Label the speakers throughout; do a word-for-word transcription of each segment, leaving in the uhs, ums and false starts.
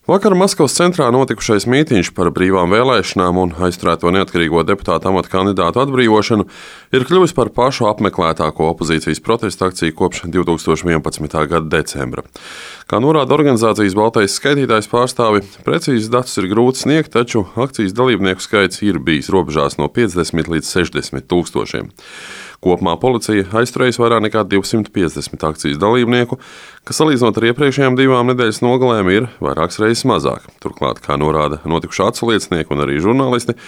Speaker 1: Vakar Maskavas centrā notikušais mītīņš par brīvām vēlēšanām un aizturēto neatkarīgo deputātu amata kandidātu atbrīvošanu ir kļuvis par pašu apmeklētāko opozīcijas protesta akciju kopš divtūkstoš vienpadsmitā gada decembra. Kā norāda organizācijas Baltais skaitītājs pārstāvi, precīzus datus ir grūti sniegt, taču akcijas dalībnieku skaits ir bijis robežās no piecdesmit līdz sešdesmit tūkstošiem. Kopumā policija aizturējusi vairāk nekā divsimt piecdesmit akcijas dalībnieku, kas salīdzinot ar iepriekšējām divām nedēļas nogalēm ir vairākas reizes mazāk. Turklāt, kā norāda notikušā atsliecinieki un arī žurnālisti,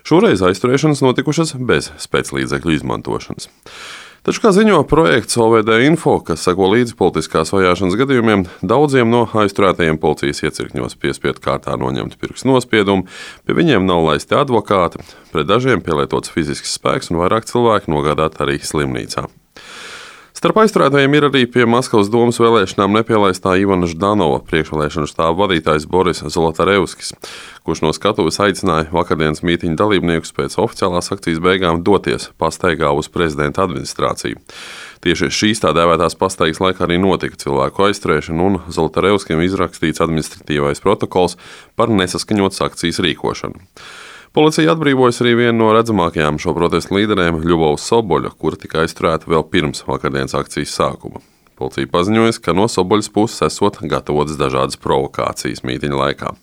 Speaker 1: šoreiz aizturēšanas notikušas bez spēclīdzekļu izmantošanas. Taču, kā ziņo projekts O V D Info, kas seko līdzi politiskās vajāšanas gadījumiem, daudziem no aizturētajiem policijas iecirkņos piespiedu kārtā noņemti pirkstu nospiedumi, pie viņiem nav laisti advokāti, pret dažiem pielietots fizisks spēks un vairāk cilvēku nogādāti arī slimnīcā. Starp aizturētajiem ir arī pie Maskavas domas vēlēšanām nepielaistā Ivana Ždanova priekšvēlēšanu štāba vadītājs Boris Zolotarevskis, kurš no skatuves aicināja vakardienas mītīņa dalībniekus pēc oficiālās akcijas beigām doties pastaigā uz prezidenta administrāciju. Tieši šīs tā dēvētās pastaigas laikā arī notika cilvēku aizturēšana un Zolotarevskim izrakstīts administratīvais protokols par nesaskaņotas akcijas rīkošanu. Policija atbrīvojas arī vienu no redzamākajām šo protestu līderiem Ļubovu Soboļu, kura tika aizturēta vēl pirms vakardienas akcijas sākuma. Policija paziņoja, ka no Soboļas puses esot gatavotas dažādas provokācijas mītīņa laikā.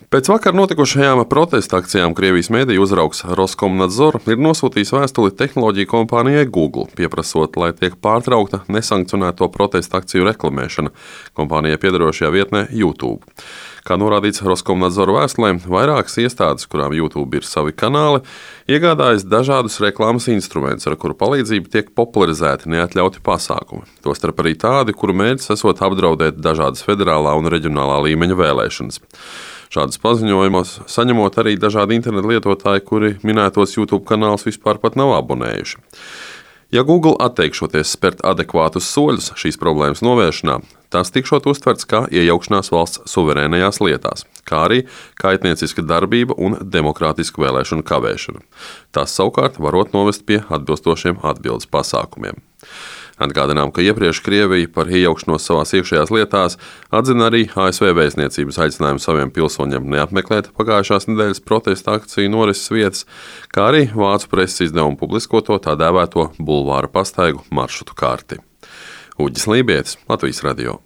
Speaker 1: Pēc vakar notikušajām protesta akcijām Krievijas mediju uzraugs Roskomnadzor ir nosūtījis vēstuli tehnoloģiju kompānijai Google, pieprasot, lai tiek pārtraukta nesankcionēto protesta akciju reklamēšana kompānijai piederošajā vietnē YouTube. Kā norādīts Roskomnadzor vēstulē, vairākas iestādes, kurām YouTube ir savi kanāli, iegādājas dažādus reklāmas instrumentus, ar kuru palīdzību tiek popularizēti neatļauti pasākumi. Tostarp arī tādi, kuru mērķis esot apdraudēt dažādas federālā un reģionālā līmeņa vēlēšanas. Šādas paziņojumus saņemot arī dažādi internetu lietotāji, kuri minētos YouTube kanālus vispār pat nav abonējuši. Ja Google atteikšoties spērt adekvātus soļus šīs problēmas novēršanā, tas tikšot uztverts kā iejaukšanās valsts suverēnajās lietās, kā arī kaitnieciska darbība un demokrātiska vēlēšanu kavēšana. Tas savukārt varot novest pie atbilstošiem atbildes pasākumiem. Atgādinām, ka iepriekš Krievija par iejaukšanos savās iekšējās lietās atzina arī A S V vēstniecības aicinājumu saviem pilsoņiem neapmeklēt pagājušās nedēļas protesta akciju norises vietas, kā arī vācu preses izdevumu publiskoto tā dēvēto bulvāra pastaigu maršrutu karti. Uģis Lībietis, Latvijas radio.